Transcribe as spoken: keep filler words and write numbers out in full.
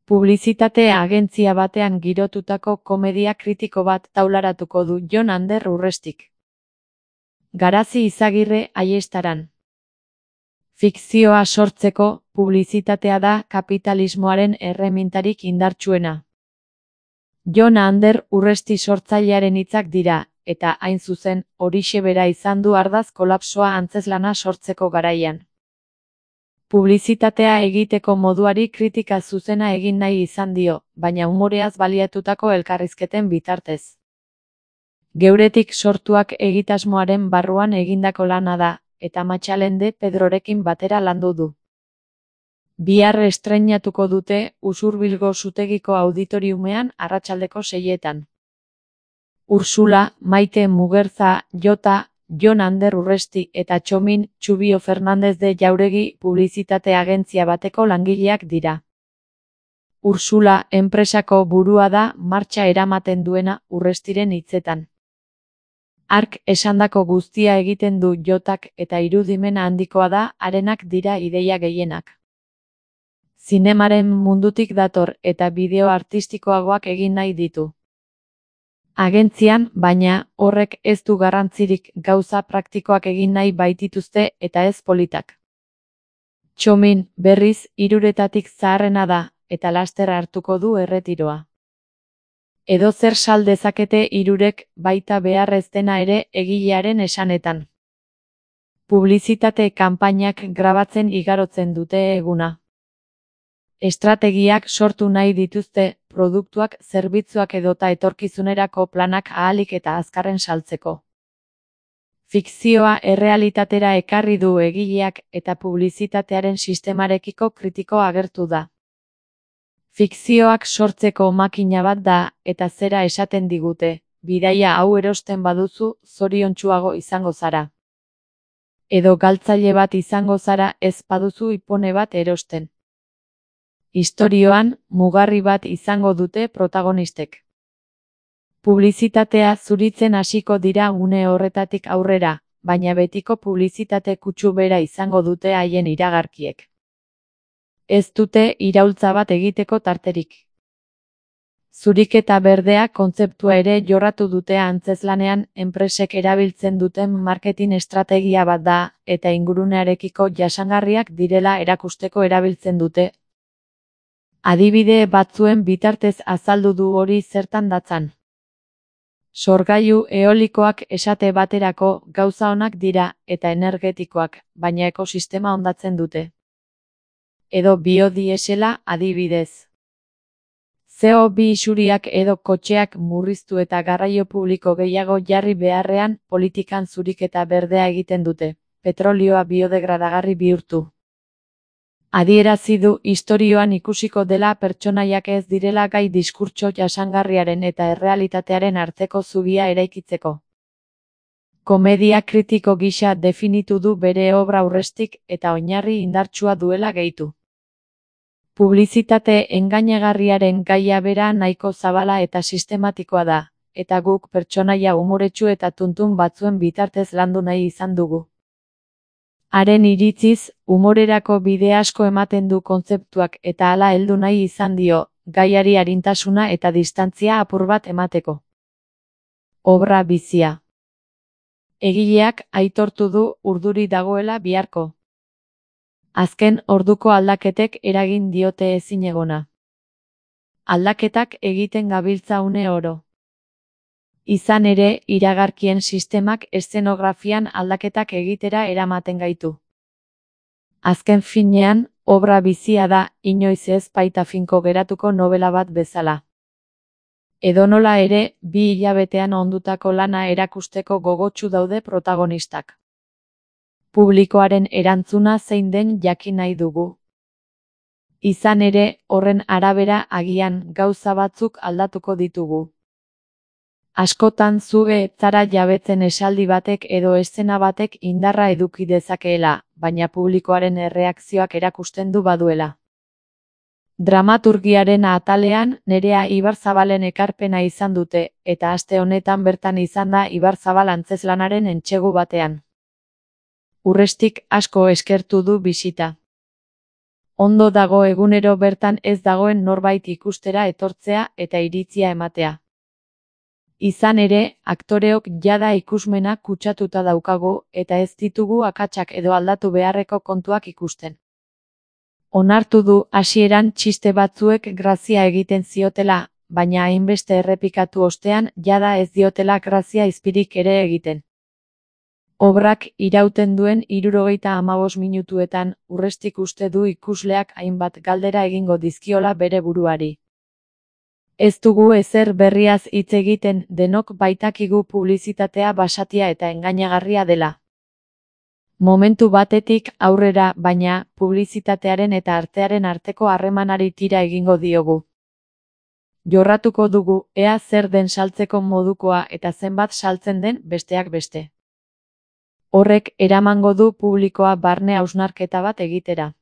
Publizitate agentzia batean girotutako komedia kritiko bat taularatuko du Jon Ander Urrestik. Garazi Izagirre Aiestaran. Fikzioa sortzeko, publizitatea da kapitalismoaren erremintarik indartsuena. Jon Ander Urresti sortzailearen hitzak dira, eta hain zuzen, horixe bera izan du ardaz kolapsoa antzezlana sortzeko garaian. Publizitatea egiteko moduari kritika zuzena egin nahi izan dio, baina umoreaz baliatutako elkarrizketen bitartez. Geuretik sortuak egitasmoaren barruan egindako lana da, eta Matxalende Pedrorekin batera landu du. Bihar estreinatuko dute Usurbilgo Zutegiko auditoriumean arratsaldeko seietan. Ursula, Maite Mugerza, Jota, Jon Ander Urresti eta Txomin Txubio Fernandez de Jauregi publizitate agentzia bateko langileak dira. Ursula enpresako burua da martxa eramaten duena Urrestiren hitzetan. Hark esandako guztia egiten du Jotak eta irudimena handikoa da harenak dira ideia gehienak. Zinemaren mundutik dator eta bideo artistikoagoak egin nahi ditu. Agentzian, baina, horrek ez du garrantzirik gauza praktikoak egin nahi baitituzte eta ez politak. Txomin, berriz, hiruretatik zaharrena da, eta laster hartuko du erretiroa. Edozer sal dezakete hirurek, baita behar ez dena ere egilearen esanetan. Publizitate kanpainak grabatzen igarotzen dute eguna. Estrategiak sortu nahi dituzte, produktuak, zerbitzuak edota etorkizunerako planak ahalik eta azkarren saltzeko. Fikzioa errealitatera ekarri du egileak eta publizitatearen sistemarekiko kritiko agertu da. Fikzioak sortzeko makina bat da, eta zera esaten digute, bidaia hau erosten baduzu, zoriontsuago izango zara. Edo galtzaile bat izango zara ez baduzu ipone bat erosten. Istorioan, mugarri bat izango dute protagonistek. Publizitatea zuritzen hasiko dira une horretatik aurrera, baina betiko publizitate kutsu bera izango dute haien iragarkiek. Ez dute iraultza bat egiteko tarterik. Zuriketa berdea kontzeptua ere jorratu dute antzezlanean enpresek erabiltzen duten marketing estrategia bat da, eta ingurunearekiko jasangarriak direla erakusteko erabiltzen dute. Adibide batzuen bitartez azaldu du hori zertan datzan. Sorgailu eolikoak esate baterako gauza onak dira eta energetikoak, baina ekosistema hondatzen dute. Edo biodiesela adibidez. C O bi isuriak edo kotxeak murriztu eta garraio publiko gehiago jarri beharrean politikan zuriketa berdea egiten dute, petrolioa biodegradagarri bihurtu. Adierazi du istorioan ikusiko dela pertsonaiak ez direla gai diskurtso jasangarriaren eta errealitatearen arteko zubia eraikitzeko. Komedia kritiko gisa definitu du bere obra Urrestik eta oinarri indartsua duela gehitu. Publizitate engainagarriaren gaia bera nahiko zabala eta sistematikoa da, eta guk pertsonaia umoretsu eta tuntun batzuen bitartez landu nahi izan dugu. Haren iritziz, umorerako bide asko ematen du kontzeptuak eta hala heldu nahi izan dio, gaiari arintasuna eta distantzia apur bat emateko. Obra bizia. Egileak aitortu du urduri dagoela biharko. Azken orduko aldaketek eragin diote ezinegona. Aldaketak egiten gabiltza une oro. Izan ere, iragarkien sistemak eszenografian aldaketak egitera eramaten gaitu. Azken finean, obra bizia da, inoiz ez baita finko geratuko novela bat bezala. Edonola ere, bi hilabetean ondutako lana erakusteko gogotsu daude protagonistak. Publikoaren erantzuna zein den jakin nahi dugu. Izan ere, horren arabera agian gauza batzuk aldatuko ditugu. Askotan zuge zara jabetzen esaldi batek edo eszena batek indarra eduki dezakeela, baina publikoaren erreakzioak erakusten du baduela. Dramaturgiaren atalean Nerea Ibarzabalen ekarpena izan dute, eta aste honetan bertan izan da Ibarzabal antzezlanaren entsegu batean. Urrestik asko eskertu du bisita. Ondo dago egunero bertan ez dagoen norbait ikustera etortzea eta iritzia ematea. Izan ere, aktoreok jada ikusmena kutsatuta daukagu eta ez ditugu akatsak edo aldatu beharreko kontuak ikusten. Onartu du hasieran txiste batzuek grazia egiten ziotela, baina hainbeste errepikatu ostean jada ez diotela grazia izpirik ere egiten. Obrak irauten duen hirurogeita hamabost minutuetan Urrestik uste du ikusleak hainbat galdera egingo dizkiola bere buruari. Ez dugu ezer berriaz hitz egiten, denok baitakigu publizitatea basatia eta engainagarria dela. Momentu batetik aurrera, baina, publizitatearen eta artearen arteko harremanari tira egingo diogu. Jorratuko dugu, ea zer den saltzeko modukoa eta zenbat saltzen den besteak beste. Horrek eramango du publikoa barne hausnarketa bat egitera.